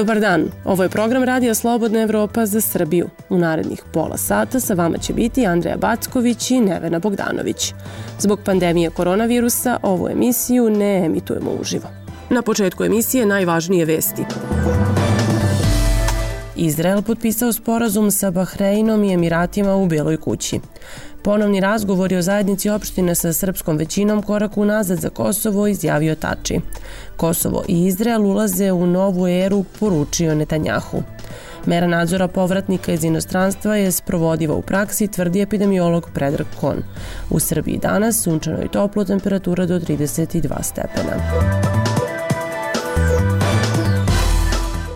Dobar dan, ovo je program Radija Slobodna Evropa za Srbiju. U narednih pola sata sa vama će biti Andreja Backović i Nevena Bogdanović. Zbog pandemije koronavirusa ovu emisiju ne emitujemo uživo. Na početku emisije najvažnije vesti. Izrael potpisao sporazum sa Bahreinom i Emiratima u Beloj kući. Ponovni razgovori o zajednici opštine sa srpskom većinom korak unazad za Kosovo, izjavio Tači. Kosovo i Izrael ulaze u novu eru, poručio Netanjahu. Mera nadzora povratnika iz inostranstva je sprovodiva u praksi, tvrdi epidemiolog Predrag Kon. U Srbiji danas sunčano i toplo, temperatura do 32 stepena.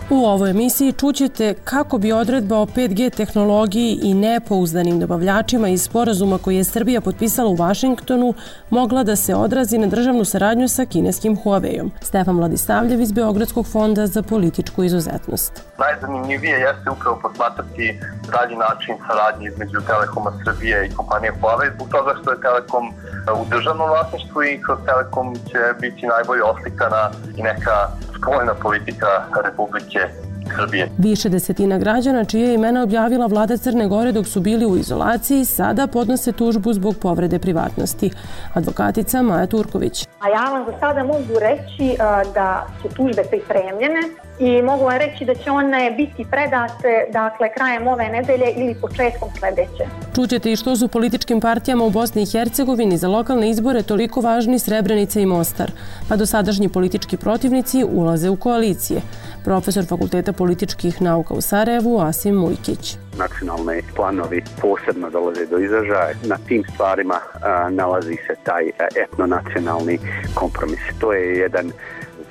U ovoj emisiji čućete kako bi odredba o 5G tehnologiji i nepouzdanim dobavljačima iz sporazuma koji je Srbija potpisala u Vašingtonu mogla da se odrazi na državnu saradnju sa kineskim Huaweiom. Stefan Vladisavljev iz Beogradskog fonda za političku izuzetnost. Najzanimljivije jeste upravo posmatrati dalji način saradnje između Telekoma Srbije i kompanije Huawei, zbog toga što je Telekom u državnom vlasništvu i kroz Telekom će biti najbolje oslikana i neka spoljna politika Republike Srbije. Više desetina građana čije imena objavila vlada Crne Gore dok su bili u izolaciji sada podnose tužbu zbog povrede privatnosti. Advokatica Maja Turković. A ja vam za sada mogu reći da su tužbe pripremljene i mogu vam reći da će one biti predate krajem ove nedelje ili početkom sledeće. Čućete i što su političkim partijama u Bosni i Hercegovini za lokalne izbore toliko važni Srebrenica i Mostar, pa dosadašnji politički protivnici ulaze u koalicije. Profesor Fakulteta političkih nauka u Sarajevu, Asim Mujkić. Nacionalni planovi posebno dolaze do izražaja. Na tim stvarima nalazi se taj etnonacionalni kompromis. To je jedan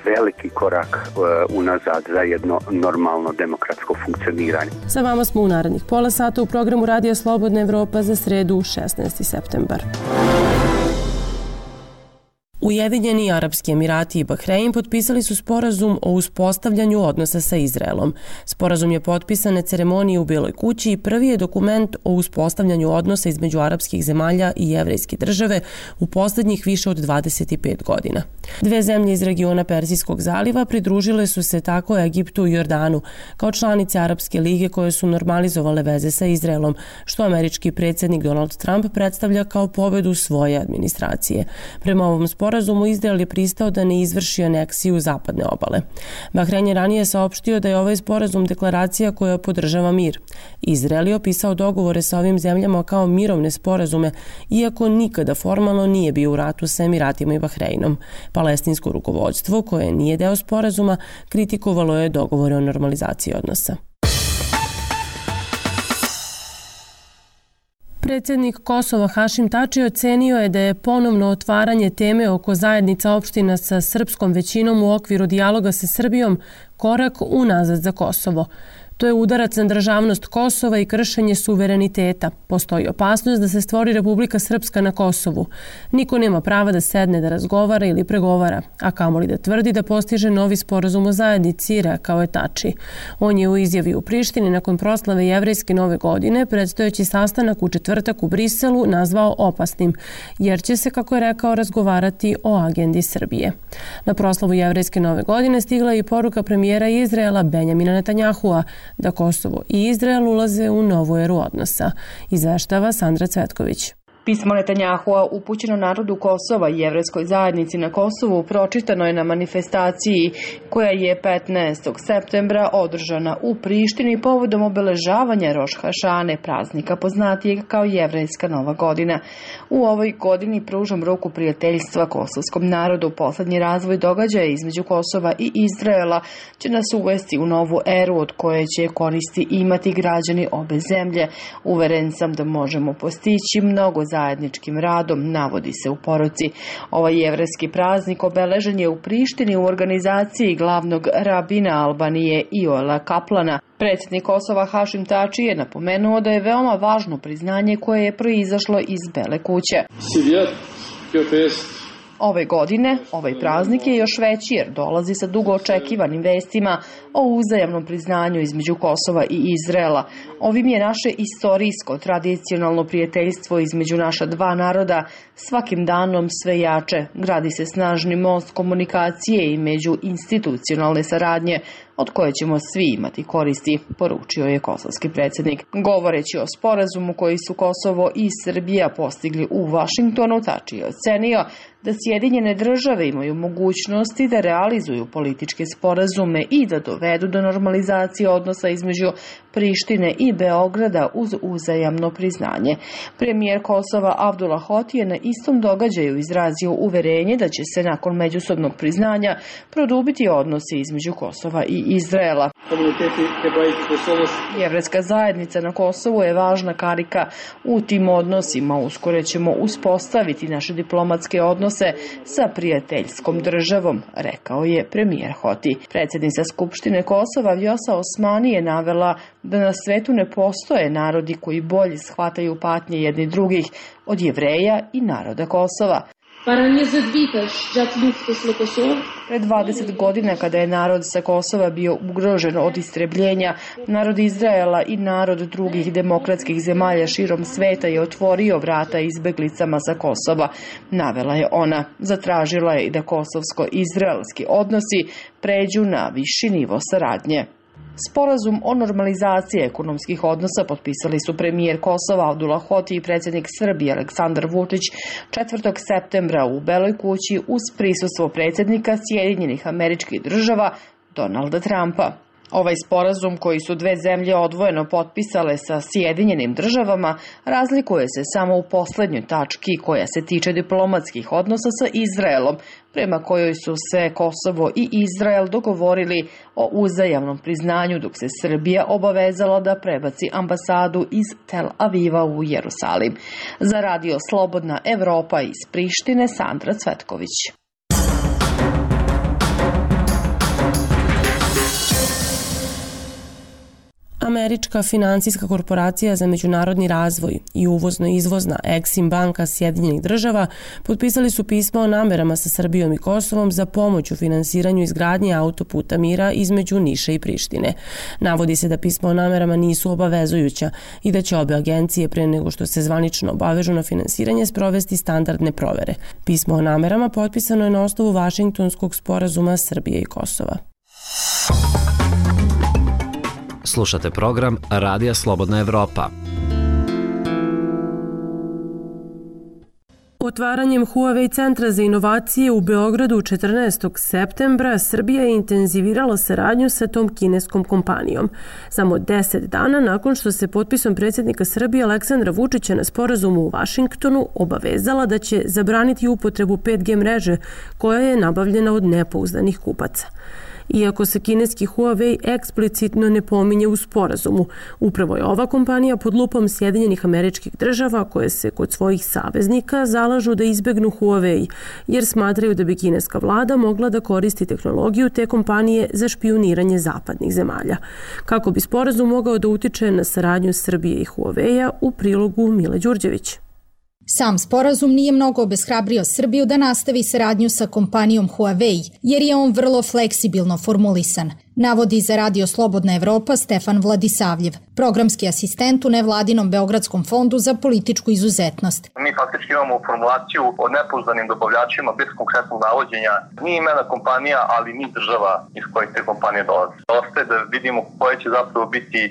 veliki korak unazad za jedno normalno demokratsko funkcioniranje. Sa vama smo u narednih pola sata u programu Radija Slobodna Evropa za sredu 16. septembar. Ujedinjeni Arapski Emirati i Bahrein potpisali su sporazum o uspostavljanju odnosa sa Izraelom. Sporazum je potpisan na ceremoniji u Beloj kući i prvi je dokument o uspostavljanju odnosa između arapskih zemalja i jevrejske države u posljednjih više od 25 godina. Dve zemlje iz regiona Perzijskog zaliva pridružile su se tako Egiptu i Jordanu kao članice Arapske lige koje su normalizovale veze sa Izraelom, što američki predsjednik Donald Trump predstavlja kao pobedu svoje administracije. Prema ovom sporazumu Izrael je pristao da ne izvrši aneksiju zapadne obale. Bahrein je ranije saopštio da je ovaj sporazum deklaracija koja podržava mir. Izrael je opisao dogovore sa ovim zemljama kao mirovne sporazume, iako nikada formalno nije bio u ratu sa Emiratima i Bahreinom. Palestinsko rukovodstvo, koje nije deo sporazuma, kritikovalo je dogovore o normalizaciji odnosa. Predsjednik Kosova Hašim Tači ocenio je da je ponovno otvaranje teme oko zajednica opština sa srpskom većinom u okviru dijaloga sa Srbijom korak unazad za Kosovo. To je udarac na državnost Kosova i kršenje suvereniteta. Postoji opasnost da se stvori Republika Srpska na Kosovu. Niko nema prava da sedne da razgovara ili pregovara, a kamoli da tvrdi da postiže novi sporazum o zajednici, rekao je Tači. On je u izjavi u Prištini nakon proslave jevrejske nove godine predstojeći sastanak u četvrtak u Briselu nazvao opasnim, jer će se, kako je rekao, razgovarati o agendi Srbije. Na proslavu jevrejske nove godine stigla je i poruka premijera Izraela Benjamina Netanjahua da Kosovo i Izrael ulaze u novu eru odnosa, izveštava Sandra Cvetković. Pismo Netanjahua upućeno narodu Kosova i jevrejskoj zajednici na Kosovu pročitano je na manifestaciji koja je 15. septembra održana u Prištini povodom obeležavanja Roš Hašane, praznika poznatijeg kao jevrejska nova godina. U ovoj godini pružam ruku prijateljstva kosovskom narodu. Poslednji razvoj događaja između Kosova i Izraela će nas uvesti u novu eru od koje će koristi imati građani obe zemlje. Uveren sam da možemo postići mnogo zajedničkim radom, navodi se u poruci. Ovaj jevrejski praznik obeležen je u Prištini u organizaciji glavnog rabina Albanije Ioela Kaplana. Predsjednik Kosova Hašim Tači je napomenuo da je veoma važno priznanje koje je proizašlo iz Bele kuće. Ove godine, ovaj praznik je još veći jer dolazi sa dugo očekivanim vestima o uzajamnom priznanju između Kosova i Izraela. Ovim je naše istorijsko, tradicionalno prijateljstvo između naša dva naroda svakim danom sve jače. Gradi se snažni most komunikacije i međuinstitucionalne saradnje, od koje ćemo svi imati koristi, poručio je kosovski predsjednik. Govoreći o sporazumu koji su Kosovo i Srbija postigli u Vašingtonu, Tači je ocenio da Sjedinjene države imaju mogućnosti da realizuju političke sporazume i da dovedu do normalizacije odnosa između Prištine i Beograda uz uzajamno priznanje. Premijer Kosova Abdullah Hoti je na istom događaju izrazio uverenje da će se nakon međusobnog priznanja produbiti odnosi između Kosova i Izraela. Jevrejska zajednica na Kosovu je važna karika u tim odnosima. Uskoro ćemo uspostaviti naše diplomatske odnose sa prijateljskom državom, rekao je premijer Hoti. Predsjednica Skupštine Kosova Vjosa Osmani je navela da na svetu ne postoje narodi koji bolje shvataju patnje jedni drugih od Jevreja i naroda Kosova. Pred 20 godina, kada je narod sa Kosova bio ugrožen od istrebljenja, narod Izraela i narod drugih demokratskih zemalja širom sveta je otvorio vrata izbeglicama sa Kosova, navela je ona. Zatražila je i da kosovsko-izraelski odnosi pređu na viši nivo saradnje. Sporazum o normalizaciji ekonomskih odnosa potpisali su premijer Kosova Abdullah Hoti i predsjednik Srbije Aleksandar Vučić 4. septembra u Beloj kući uz prisustvo predsjednika Sjedinjenih Američkih Država Donalda Trumpa. Ovaj sporazum, koji su dve zemlje odvojeno potpisale sa Sjedinjenim Državama, razlikuje se samo u poslednjoj tački koja se tiče diplomatskih odnosa sa Izraelom, prema kojoj su se Kosovo i Izrael dogovorili o uzajamnom priznanju, dok se Srbija obavezala da prebaci ambasadu iz Tel Aviva u Jerusalim. Za radio Slobodna Evropa iz Prištine, Sandra Cvetković. Američka finansijska korporacija za međunarodni razvoj i uvozno-izvozna Exim banka Sjedinjenih Država potpisali su pismo o namerama sa Srbijom i Kosovom za pomoć u finansiranju izgradnje autoputa mira između Niša i Prištine. Navodi se da pismo o namerama nisu obavezujuća i da će obe agencije pre nego što se zvanično obavežu na finansiranje sprovesti standardne provere. Pismo o namerama potpisano je na osnovu Vašingtonskog sporazuma Srbije i Kosova. Slušate program Radija Slobodna Evropa. Otvaranjem Huawei centra za inovacije u Beogradu 14. septembra Srbija je intenzivirala saradnju sa tom kineskom kompanijom. Samo 10 dana nakon što se potpisom predsjednika Srbije Aleksandra Vučića na sporazumu u Vašingtonu obavezala da će zabraniti upotrebu 5G mreže koja je nabavljena od nepouzdanih kupaca. Iako se kineski Huawei eksplicitno ne pominje u sporazumu, upravo je ova kompanija pod lupom Sjedinjenih Američkih Država koje se kod svojih saveznika zalažu da izbegnu Huawei, jer smatraju da bi kineska vlada mogla da koristi tehnologiju te kompanije za špijuniranje zapadnih zemalja. Kako bi sporazum mogao da utiče na saradnju Srbije i Huawei-a, u prilogu Mile Đurđević. Sam sporazum nije mnogo obeshrabrio Srbiju da nastavi saradnju sa kompanijom Huawei, jer je on vrlo fleksibilno formulisan, navodi za radio Slobodna Evropa Stefan Vladisavljev, programski asistent u nevladinom Beogradskom fondu za političku izuzetnost. Mi faktički imamo formulaciju o nepouzdanim dobavljačima bez konkretnog navođenja ni imena kompanija, ali ni država iz kojih te kompanije dolaze. Ostaje da vidimo koje će zapravo biti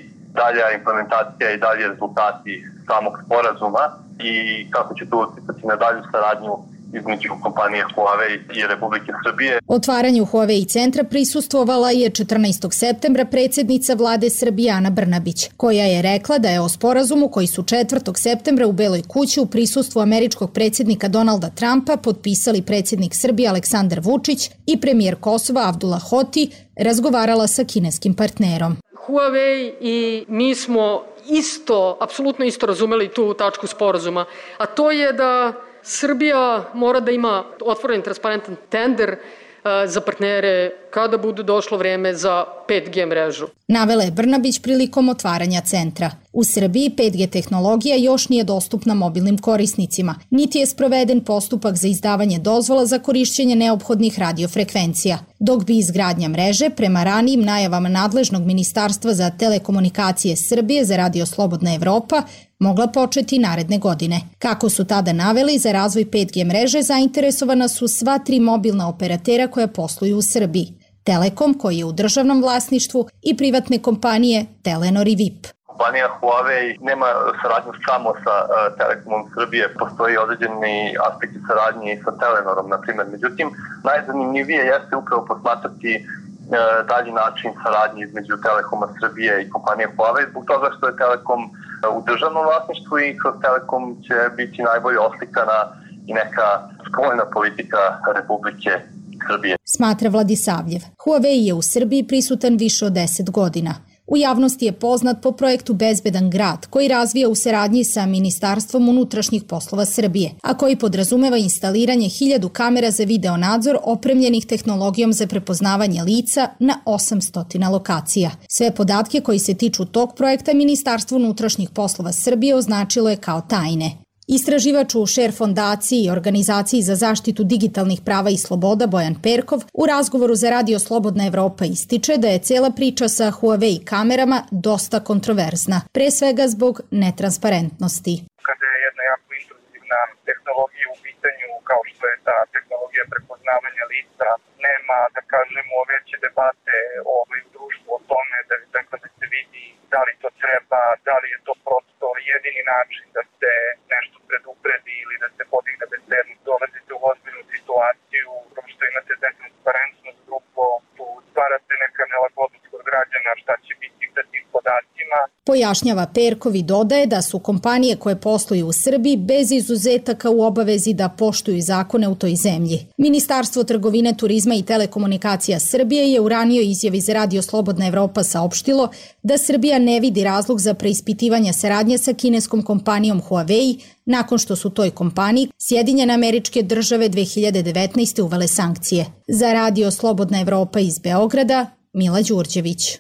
dalja implementacija i dalje rezultati samog sporazuma i kako će to uticati na dalju saradnju između kompanije Huawei i Republike Srbije. Otvaranju Huawei centra prisustvovala je 14. septembra predsjednica vlade Srbije Ana Brnabić, koja je rekla da je o sporazumu koji su 4. septembra u Beloj kući u prisustvu američkog predsjednika Donalda Trumpa potpisali predsjednik Srbije Aleksandar Vučić i premijer Kosova Abdullah Hoti razgovarala sa kineskim partnerom. Huawei i mi smo apsolutno isto razumeli tu tačku sporazuma, a to je da Srbija mora da ima otvoren transparentan tender za partnere kada bude došlo vreme za 5G mrežu. Navela je Brnabić prilikom otvaranja centra. U Srbiji 5G tehnologija još nije dostupna mobilnim korisnicima, niti je sproveden postupak za izdavanje dozvola za korišćenje neophodnih radiofrekvencija, dok bi izgradnja mreže, prema ranijim najavama nadležnog Ministarstva za telekomunikacije Srbije za radio Slobodna Evropa, mogla početi naredne godine. Kako su tada naveli, za razvoj 5G mreže zainteresovana su sva 3 mobilna operatera koja posluju u Srbiji. Telekom, koji je u državnom vlasništvu, i privatne kompanije Telenor i VIP. Kompanija Huawei nema saradnju samo sa Telekomom Srbije, postoji određeni aspekti saradnje i sa Telenorom, na primjer. Međutim, najzanimljivije jeste upravo posmatrati dalji način saradnje između Telekoma Srbije i kompanije Huawei, zbog toga što je Telekom u državnom vlasništvu i kroz Telekom će biti najbolje oslikana i neka spoljna politika Republike Srbije. Smatra Vladisavljev. Huawei je u Srbiji prisutan više od 10 godina. U javnosti je poznat po projektu Bezbedan grad, koji razvija u saradnji sa Ministarstvom unutrašnjih poslova Srbije, a koji podrazumeva instaliranje 1000 kamera za video nadzor opremljenih tehnologijom za prepoznavanje lica na 800 lokacija. Sve podatke koji se tiču tog projekta Ministarstvo unutrašnjih poslova Srbije označilo je kao tajne. Istraživač u Share fondaciji i organizaciji za zaštitu digitalnih prava i sloboda Bojan Perkov u razgovoru za Radio Slobodna Evropa ističe da je cela priča sa Huawei kamerama dosta kontroverzna, pre svega zbog netransparentnosti. Kada je jedna jako intruzivna tehnologija u pitanju, kao što je ta tehnologija prepoznavanja lica, nema, da kažemo, veće debate u društvu o tome da se vidi da li to treba, da li je to prosto jedini način da se nešto predupredi ili da se podigne bezbednost. Dolazite u ozbiljnu situaciju, što imate netransparentnost, drugo, tu stvarate neka nelagodnost kod građana šta će biti sa tim podacima. Pojašnjava Perkov i dodaje da su kompanije koje posluju u Srbiji bez izuzetaka u obavezi da poštuju zakone u toj zemlji. Ministarstvo trgovine, turizma i telekomunikacija Srbije je u ranijoj izjavi za Radio Slobodna Evropa saopštilo da Srbija ne vidi razlog za preispitivanje saradnje sa kineskom kompanijom Huawei nakon što su toj kompaniji Sjedinjene Američke Države 2019. uvele sankcije. Za Radio Slobodna Evropa iz Beograda, Mila Đurđević.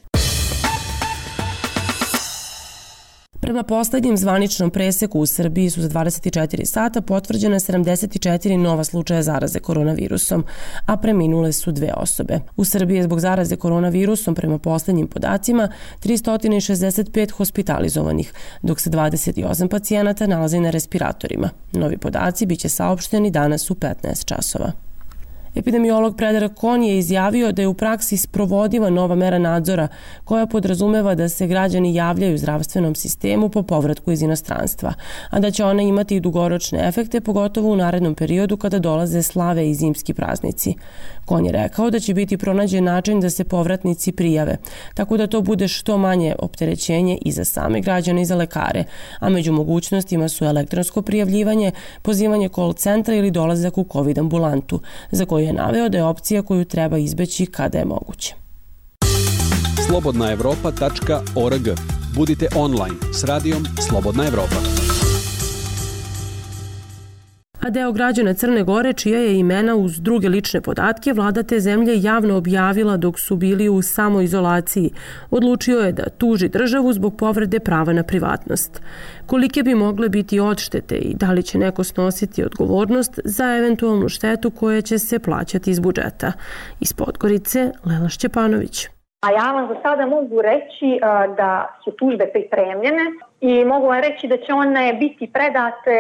Prema poslednjem zvaničnom preseku u Srbiji su za 24 sata potvrđene 74 nova slučaja zaraze koronavirusom, a preminule su 2 osobe. U Srbiji je zbog zaraze koronavirusom prema poslednjim podacima 365 hospitalizovanih, dok se 28 pacijenata nalazi na respiratorima. Novi podaci biće saopšteni danas u 15 časova. Epidemiolog Predrag Kon je izjavio da je u praksi sprovodiva nova mera nadzora koja podrazumeva da se građani javljaju zdravstvenom sistemu po povratku iz inostranstva, a da će ona imati i dugoročne efekte, pogotovo u narednom periodu kada dolaze slave i zimski praznici. Kon je rekao da će biti pronađen način da se povratnici prijave, tako da to bude što manje opterećenje i za same građane i za lekare, a među mogućnostima su elektronsko prijavljivanje, pozivanje call centra ili dolazak u COVID ambulantu, za koju je naveo da je opcija koju treba izbeći kada je moguće. slobodnaevropa.org. Budite online s radijom Slobodna Evropa. A deo građana Crne Gore, čija je imena uz druge lične podatke vlada te zemlje javno objavila dok su bili u samoizolaciji, odlučio je da tuži državu zbog povrede prava na privatnost. Kolike bi mogle biti odštete i da li će neko snositi odgovornost za eventualnu štetu koja će se plaćati iz budžeta? Iz Podgorice, Lela Šćepanović. A ja vam za sada mogu reći da su tužbe pripremljene i mogu vam reći da će one biti predate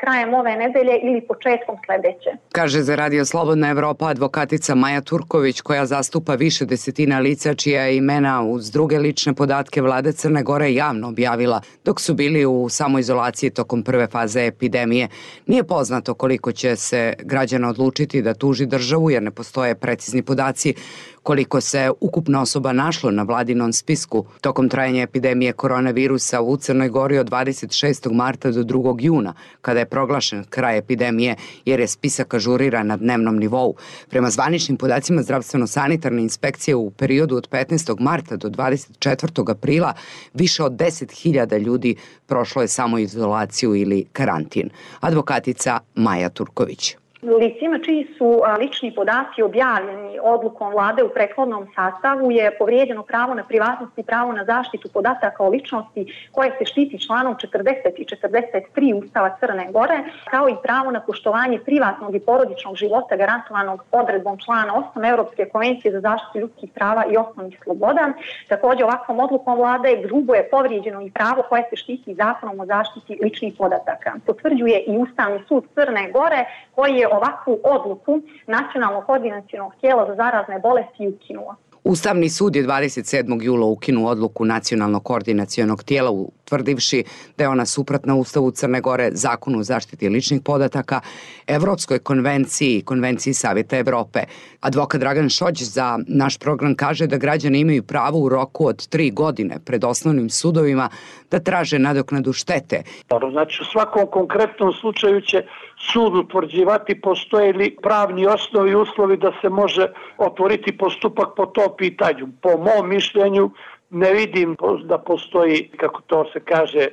krajem ove nedelje ili početkom sledeće. Kaže za Radio Slobodna Evropa advokatica Maja Turković, koja zastupa više desetina lica čija je imena uz druge lične podatke vlade Crne Gore javno objavila dok su bili u samoizolaciji tokom prve faze epidemije. Nije poznato koliko će se građana odlučiti da tuži državu jer ne postoje precizni podaci koliko se ukupno osoba našlo na vladinom spisku tokom trajanja epidemije koronavirusa u Crnoj Gori od 26. marta do 2. juna, kada je proglašen kraj epidemije, jer je spisak ažuriran na dnevnom nivou. Prema zvaničnim podacima zdravstveno-sanitarne inspekcije u periodu od 15. marta do 24. aprila više od 10.000 ljudi prošlo je samoizolaciju ili karantin. Advokatica Maja Turković. Licima čiji su lični podaci objavljeni odlukom vlade u prethodnom sastavu je povrijeđeno pravo na privatnost i pravo na zaštitu podataka o ličnosti koje se štiti članom 40 i 43 Ustava Crne Gore, kao i pravo na poštovanje privatnog i porodičnog života garantovanog odredbom člana 8 Evropske konvencije za zaštitu ljudskih prava i osnovnih sloboda. Također ovakvom odlukom vlade grubo je povrijeđeno i pravo koje se štiti zakonom o zaštiti ličnih podataka. Potvrđuje i Ustavni sud Crne Gore koji je ovakvu odluku Nacionalnog koordinacionog tijela za zarazne bolesti ukinuo. Ustavni sud je 27. jula ukinuo odluku Nacionalnog koordinacionog tijela utvrdivši da je ona suprotna Ustavu Crne Gore, Zakonu o zaštiti ličnih podataka, Evropskoj konvenciji i Konvenciji Savjeta Evrope. Advokat Dragan Šođ za naš program kaže da građani imaju pravo u roku od 3 godine pred osnovnim sudovima da traže nadoknadu štete. Znači u svakom konkretnom slučaju će sud utvrđivati postoje li pravni osnovi i uslovi da se može otvoriti postupak po tom pitanju. Po mom mišljenju ne vidim da postoji, kako to se kaže,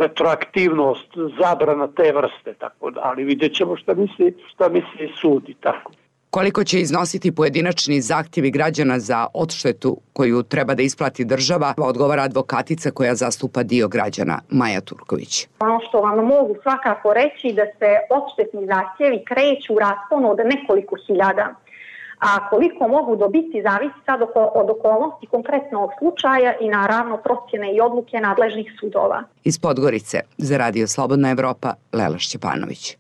retroaktivnost, zabrana te vrste, tako da, ali vidjet ćemo šta misli sud i tako. Koliko će iznositi pojedinačni zahtjevi građana za odštetu koju treba da isplati država, odgovara advokatica koja zastupa dio građana, Maja Turković. Ono što vam mogu svakako reći da se odštetni zahtjevi kreću u rasponu od nekoliko hiljada. A koliko mogu dobiti zavisi sad od okolnosti konkretnog slučaja i naravno procjene i odluke nadležnih sudova. Iz Podgorice za Radio Slobodna Evropa, Lela Šćepanović.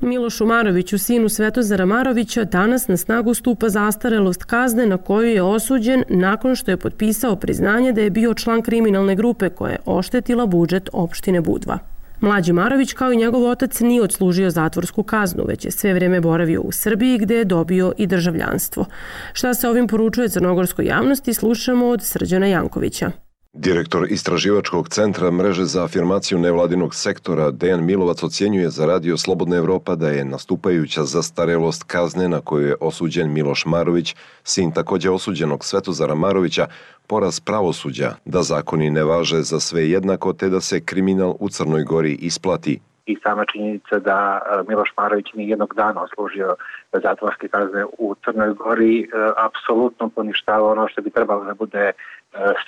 Milošu Maroviću, sinu Svetozara Marovića, danas na snagu stupa zastarelost kazne na koju je osuđen nakon što je potpisao priznanje da je bio član kriminalne grupe koja je oštetila budžet opštine Budva. Mlađi Marović, kao i njegov otac, nije odslužio zatvorsku kaznu, već je sve vrijeme boravio u Srbiji gdje je dobio i državljanstvo. Šta se ovim poručuje crnogorskoj javnosti, slušamo od Srđana Jankovića. Direktor Istraživačkog centra Mreže za afirmaciju nevladinog sektora Dejan Milovac ocjenjuje za Radio Slobodna Evropa da je nastupajuća zastarelost kazne na koju je osuđen Miloš Marović, sin također osuđenog Svetozara Marovića, poraz pravosuđa, da zakoni ne važe za sve jednako te da se kriminal u Crnoj Gori isplati. I sama činjenica da Miloš Marović nije jednog dana odslužio zatvorske kazne u Crnoj Gori apsolutno poništava ono što bi trebalo da bude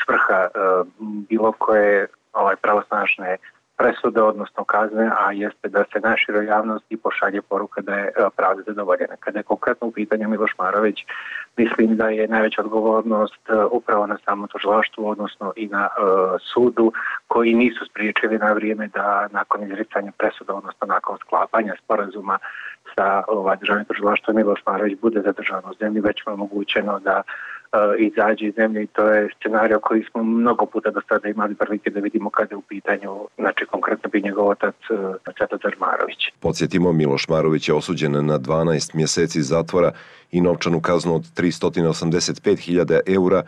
svrha bilo koje pravosnažne presude, odnosno kazne, a jeste da se naširoj javnosti pošalje poruka da je pravda zadovoljena. Kada je konkretno u pitanju Miloš Marović, mislim da je najveća odgovornost upravo na samom tužilaštvu, odnosno i na sudu, koji nisu spriječili na vrijeme da nakon izricanja presuda, odnosno nakon sklapanja sporazuma sa državnim tužilaštvom, Miloš Marović bude zadržan u zemlji, već mu je omogućeno da izađe iz zemlje i to je scenario koji smo mnogo puta do sada imali prilike da vidimo kada je u pitanju, znači konkretno bi njegov otac Svetozar Marović. Podsjetimo, Miloš Marović je osuđen na 12 mjeseci zatvora i novčanu kaznu od 385.000 eura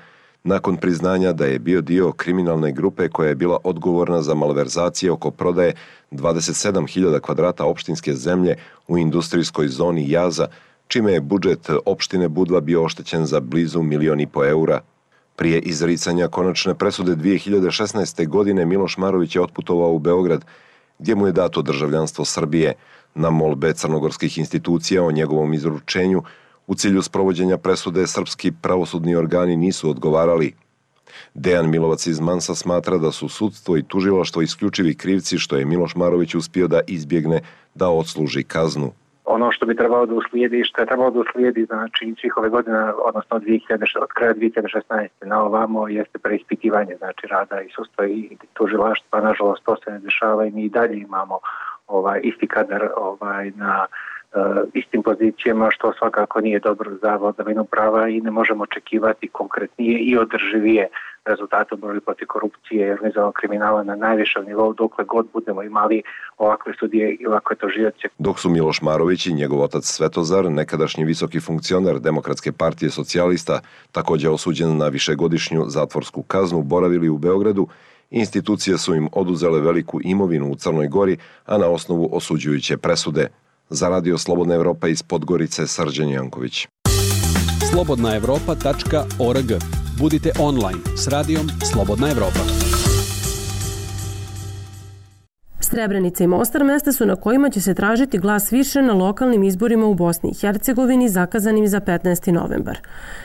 nakon priznanja da je bio dio kriminalne grupe koja je bila odgovorna za malverzacije oko prodaje 27.000 kvadrata opštinske zemlje u industrijskoj zoni Jaza, čime je budžet opštine Budva bio oštećen za blizu 1,5 miliona eura. Prije izricanja konačne presude 2016. godine Miloš Marović je otputovao u Beograd, gdje mu je dato državljanstvo Srbije. Na molbe crnogorskih institucija o njegovom izručenju u cilju sprovođenja presude srpski pravosudni organi nisu odgovarali. Dejan Milovac iz Mansa smatra da su sudstvo i tužilaštvo isključivi krivci što je Miloš Marović uspio da izbjegne da odsluži kaznu. Ono što bi trebalo da uslijedi, što je trebalo da uslijedi, znači svih ove godina, odnosno od kraja 2016. na ovamo, jeste preispitivanje, znači rada i sudstva i tužilaštva. Nažalost, to se ne dešava i mi i dalje imamo isti kadar na istim pozicijama, što svakako nije dobro za vladavinu prava i ne možemo očekivati konkretnije i održivije rezultate u borbi protiv korupcije i organizovanog kriminala na najvišem nivou dokle god budemo imali ovakve sudije i ovakve tužioce. Dok su Miloš Marović i njegov otac Svetozar, nekadašnji visoki funkcioner Demokratske partije socijalista, također osuđen na višegodišnju zatvorsku kaznu, boravili u Beogradu, institucije su im oduzele veliku imovinu u Crnoj Gori, a na osnovu osuđujuće presude. Za Radio Slobodna Evropa iz Podgorice, Srđan Janković. slobodnaevropa.org. Budite online s Radijom Slobodna Evropa. Srebrenica i Mostar mesta su na kojima će se tražiti glas više na lokalnim izborima u Bosni i Hercegovini zakazanim za 15. novembar.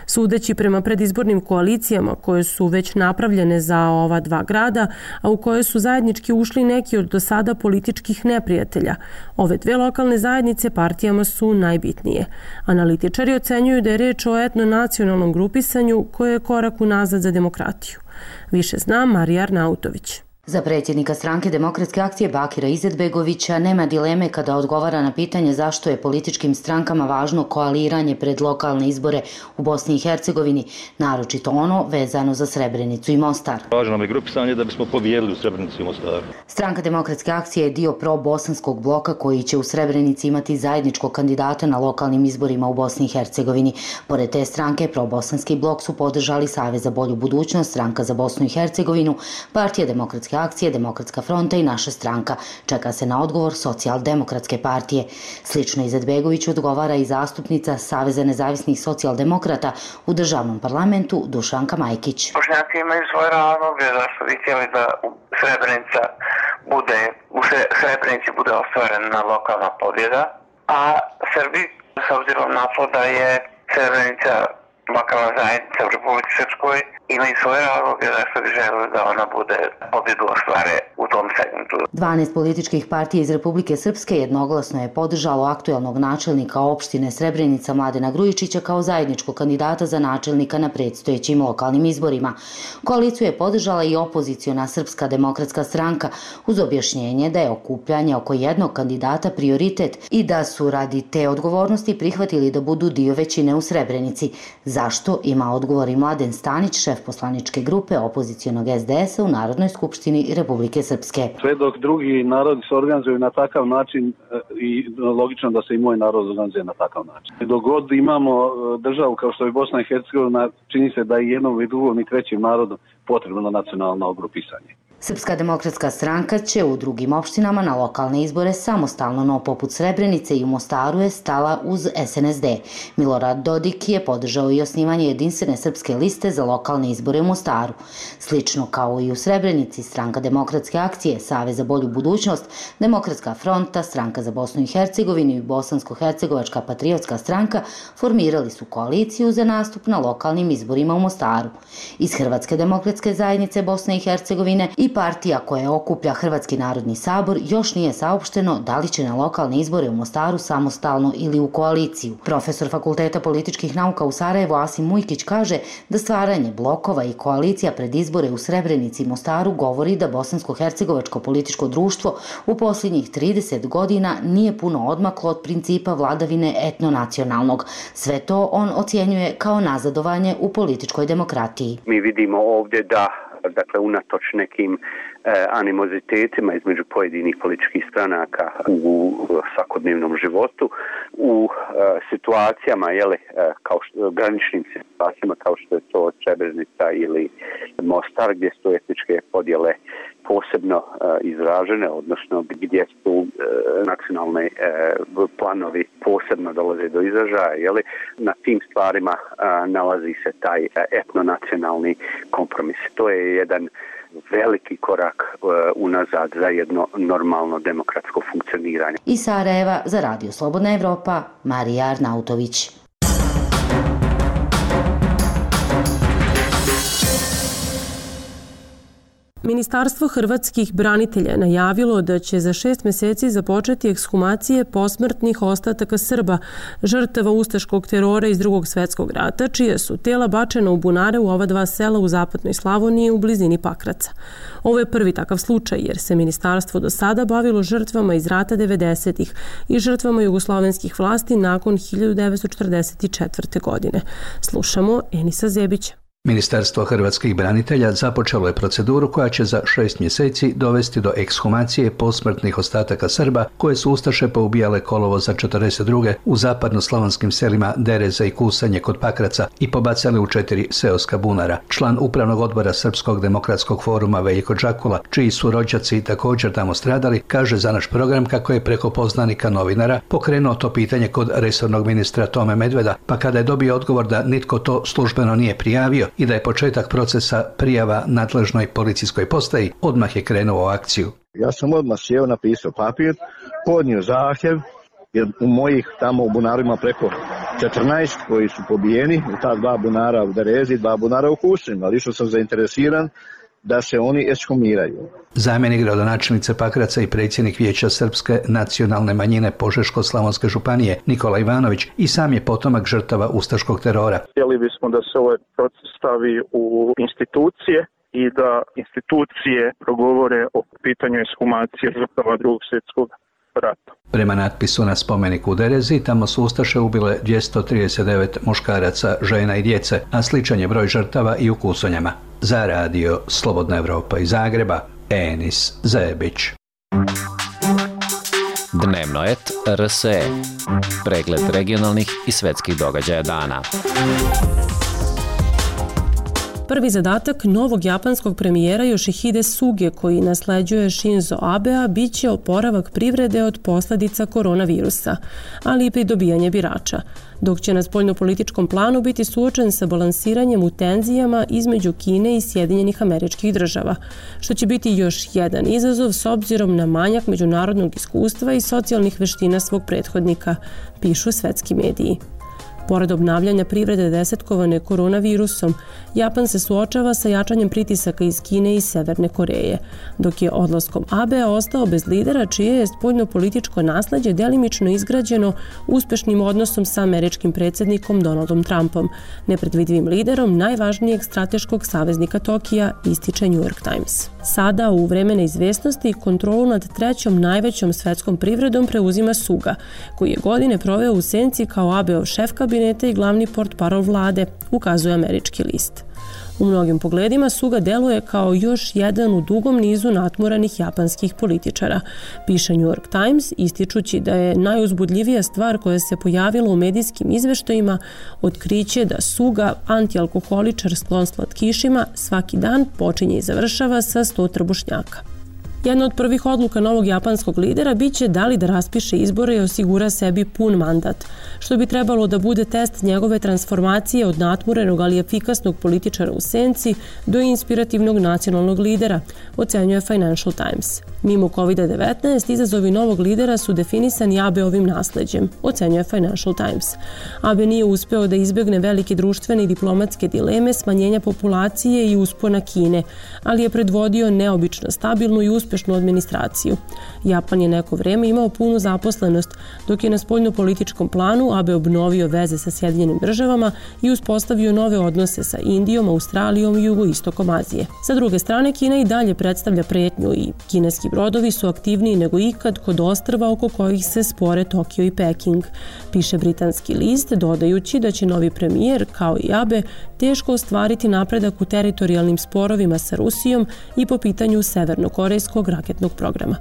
Sudeći prema predizbornim koalicijama koje su već napravljene za ova dva grada, a u koje su zajednički ušli neki od do sada političkih neprijatelja, ove dve lokalne zajednice partijama su najbitnije. Analitičari ocenjuju da je reč o etno-nacionalnom grupisanju koje je korak unazad za demokratiju. Više zna Marija Arnautović. Za predsjednika stranke Demokratske akcije Bakira Izetbegovića nema dileme kada odgovara na pitanje zašto je političkim strankama važno koaliranje pred lokalne izbore u Bosni i Hercegovini, naročito ono vezano za Srebrenicu i Mostar. Važno nam je grupisanje da bismo pobijedili u Srebrenici i Mostaru. Stranka Demokratske akcije je dio pro-bosanskog bloka koji će u Srebrenici imati zajedničkog kandidata na lokalnim izborima u Bosni i Hercegovini. Pored te stranke, pro-bosanski blok su podržali Savez za bolju budućnost, Stranka za Bosnu i Hercegovinu, Partija Demokratske akcije, Demokratska fronta i Naša stranka. Čeka se na odgovor Socijaldemokratske partije. Slično Izetbegoviću odgovara i zastupnica Saveza nezavisnih socijaldemokrata u državnom parlamentu Dušanka Majkić. Bošnjaci imaju svoje razloge zašto bi htjeli da u Srebrenici bude ostvarena lokalna pobjeda, a Srbi, s obzirom na to da je Srebrenica lokalna zajednica u Republici Srpskoj, imaju svoje razloge zašto bi želeli da ona bude pobjedu ostvare u tom segmentu. 12 političkih partija iz Republike Srpske jednoglasno je podržalo aktuelnog načelnika opštine Srebrenica Mladena Grujičića kao zajedničkog kandidata za načelnika na predstojećim lokalnim izborima. Koaliciju je podržala i opoziciona Srpska demokratska stranka uz objašnjenje da je okupljanje oko jednog kandidata prioritet i da su radi te odgovornosti prihvatili da budu dio većine u Srebrenici. Zašto ima odgovor i Mladen Stanić, šef poslaničke grupe opozicionog SDS-a u Narodnoj skupštini Republike Srpske. Sve dok drugi narodi se organizuju na takav način i logično da se i moj narod organizuje na takav način. Dok god imamo državu kao što je Bosna i Hercegovina, čini se da i jednom i drugom i trećim narodom potrebno nacionalno grupisanje. Srpska demokratska stranka će u drugim opštinama na lokalne izbore samostalno, no poput Srebrenice i u Mostaru je stala uz SNSD. Milorad Dodik je podržao i osnivanje jedinstvene srpske liste za lokalne izbore u Mostaru. Slično kao i u Srebrenici, Stranka Demokratske akcije, Savez za bolju budućnost, Demokratska fronta, Stranka za Bosnu i Hercegovinu i Bosansko-hercegovačka patriotska stranka formirali su koaliciju za nastup na lokalnim izborima u Mostaru. Iz Hrvatske demokratske zajednice Bosne i Hercegovine i partija koja okuplja Hrvatski narodni sabor još nije saopšteno da li će na lokalne izbore u Mostaru samostalno ili u koaliciju. Profesor Fakulteta političkih nauka u Sarajevu Asim Mujkić kaže da stvaranje blokova i koalicija pred izbore u Srebrenici i Mostaru govori da bosansko-hercegovačko političko društvo u posljednjih 30 godina nije puno odmaklo od principa vladavine etnonacionalnog. Sve to on ocjenjuje kao nazadovanje u političkoj demokratiji. Mi vidimo ovdje da unatoč nekim animozitetima između pojedinih političkih stranaka u svakodnevnom životu, u situacijama, graničnim situacijama kao što je to Srebrenica ili Mostar, gdje su etničke podjele posebno izražene, odnosno gdje su nacionalne planovi posebno dolaze do izražaja, na tim stvarima nalazi se taj etnonacionalni kompromis. To je jedan veliki korak unazad za jedno normalno demokratsko funkcioniranje. Iz Sarajeva za Radio Slobodna Evropa, Marija Arnautović. Ministarstvo hrvatskih branitelja je najavilo da će za 6 mjeseci započeti ekshumacije posmrtnih ostataka Srba, žrtava ustaškog terora iz Drugog svjetskog rata, čije su tela bačena u bunare u ova 2 sela u zapadnoj Slavoniji u blizini Pakraca. Ovo je prvi takav slučaj jer se ministarstvo do sada bavilo žrtvama iz rata 90-ih i žrtvama jugoslovenskih vlasti nakon 1944. godine. Slušamo Enisa Zebića. Ministarstvo hrvatskih branitelja započelo je proceduru koja će za 6 mjeseci dovesti do ekshumacije posmrtnih ostataka Srba koje su ustaše poubijale kolovoza 42. u zapadno-slavonskim selima Dereza i Kusanje kod Pakraca i pobacali u 4 seoska bunara. Član upravnog odbora Srpskog demokratskog foruma Veljko Đakula, čiji su rođaci također tamo stradali, kaže za naš program kako je preko poznanika novinara pokrenuo to pitanje kod resornog ministra Tome Medveda, pa kada je dobio odgovor da nitko to službeno nije prijavio i da je početak procesa prijava nadležnoj policijskoj postaji, odmah je krenuo u akciju. Ja sam odmah sjeo, napisao papir, podnio zahtjev, jer u mojih tamo u bunarima preko 14 koji su pobijeni, u ta 2 bunara u Derezi, 2 bunara u Kusanju, ali što sam zainteresiran da se oni ekshumiraju. Zamjenik gradonačelnice Pakraca i predsjednik Vijeća Srpske nacionalne manjine Požeško-slavonske županije Nikola Ivanović i sam je potomak žrtava ustaškog terora. Htjeli bismo da se ovaj proces stavi u institucije i da institucije progovore o pitanju ekshumacije žrtava Drugog svjetskog rata. Prema natpisu na spomeniku u Derezi, tamo su ustaše ubile 239 muškaraca, žena i djece, a sličan je broj žrtava i u Kusonjama. Za radio Slobodna Evropa iz Zagreba, Enis Zebić. Dnevno et RSE. Pregled regionalnih i svetskih događaja dana. Prvi zadatak novog japanskog premijera Yoshihide Suge, koji nasleđuje Shinzo Abea, bit će oporavak privrede od posljedica koronavirusa, ali i pridobijanje birača, dok će na spoljnopolitičkom planu biti suočen sa balansiranjem u tenzijama između Kine i Sjedinjenih Američkih Država, što će biti još jedan izazov s obzirom na manjak međunarodnog iskustva i socijalnih veština svog prethodnika, pišu svetski mediji. Pored obnavljanja privrede desetkovane koronavirusom, Japan se suočava sa jačanjem pritisaka iz Kine i Severne Koreje, dok je odlaskom Abea ostao bez lidera čije je spoljnopolitičko nasleđe delimično izgrađeno uspešnim odnosom sa američkim predsjednikom Donaldom Trumpom, nepredvidivim liderom najvažnijeg strateškog saveznika Tokija, ističe New York Times. Sada, u vreme neizvesnosti, kontrolu nad trećom najvećom svetskom privredom preuzima Suga, koji je godine proveo u senci kao Abeov šef kabineta i glavni portparol vlade, ukazuje američki list. U mnogim pogledima Suga deluje kao još jedan u dugom nizu natmoranih japanskih političara, piše New York Times, ističući da je najuzbudljivija stvar koja se pojavila u medijskim izveštajima otkriće da Suga, antialkoholičar sklon slatkišima, svaki dan počinje i završava sa 100 trbušnjaka. Jedna od prvih odluka novog japanskog lidera biće da li da raspiše izbore i osigura sebi pun mandat, što bi trebalo da bude test njegove transformacije od natmurenog ali efikasnog političara u senci do inspirativnog nacionalnog lidera, ocenjuje Financial Times. Mimo COVID-19, izazovi novog lidera su definisani Abeovim nasleđem, ocenjuje Financial Times. Abe nije uspeo da izbjegne velike društvene i diplomatske dileme, smanjenja populacije i uspona Kine, ali je predvodio neobično stabilnu i uspešnu administraciju. Japan je neko vreme imao punu zaposlenost, dok je na spoljnopolitičkom planu Abe obnovio veze sa Sjedinjenim Državama i uspostavio nove odnose sa Indijom, Australijom i jugoistokom Azije. Sa druge strane, Kina i dalje predstavlja pretnju i kineski brodovi su aktivniji nego ikad kod ostrva oko kojih se spore Tokio i Peking, piše britanski list, dodajući da će novi premijer, kao i Abe, teško ostvariti napredak u teritorijalnim sporovima sa Rusijom i po pitanju severnokorejskog raketnog programa.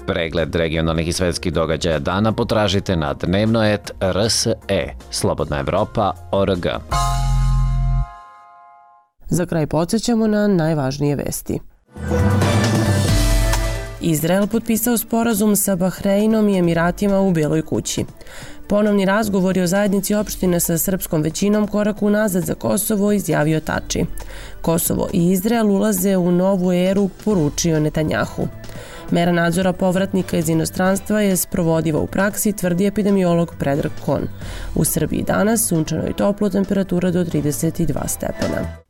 Pregled regionalnih i svetskih događaja dana potražite na dnevno.rs.e, slobodnaevropa.org. Za kraj podsjećamo na najvažnije vesti. Izrael potpisao sporazum sa Bahreinom i Emiratima u Bijeloj kući. Ponovni razgovori o zajednici opštine sa srpskom većinom korak unazad za Kosovo, izjavio Tači. Kosovo i Izrael ulaze u novu eru, poručio Netanjahu. Mera nadzora povratnika iz inostranstva je sprovodiva u praksi, tvrdi epidemiolog Predrag Kon. U Srbiji danas sunčano i toplo, temperatura do 32 stepena.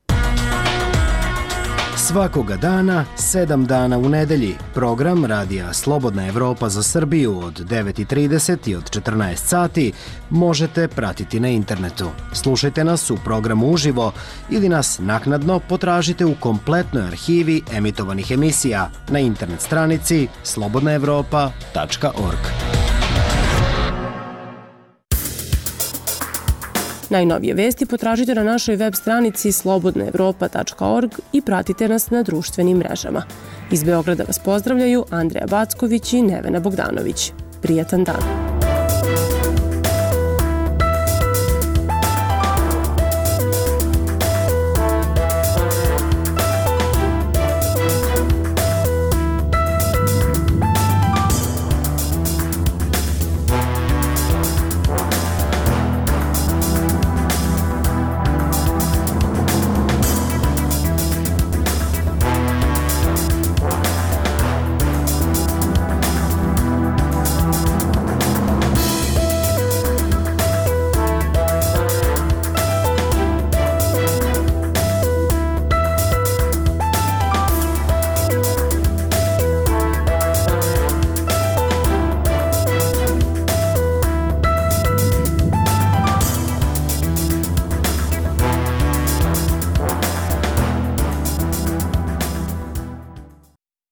Svakoga dana, 7 dana u nedelji. Program Radija Slobodna Evropa za Srbiju od 9:30 i od 14 sati možete pratiti na internetu. Slušajte nas u programu uživo ili nas naknadno potražite u kompletnoj arhivi emitovanih emisija na internet stranici slobodnaevropa.org. Najnovije vesti potražite na našoj web stranici slobodnaevropa.org i pratite nas na društvenim mrežama. Iz Beograda vas pozdravljaju Andreja Backović i Nevena Bogdanović. Prijatan dan!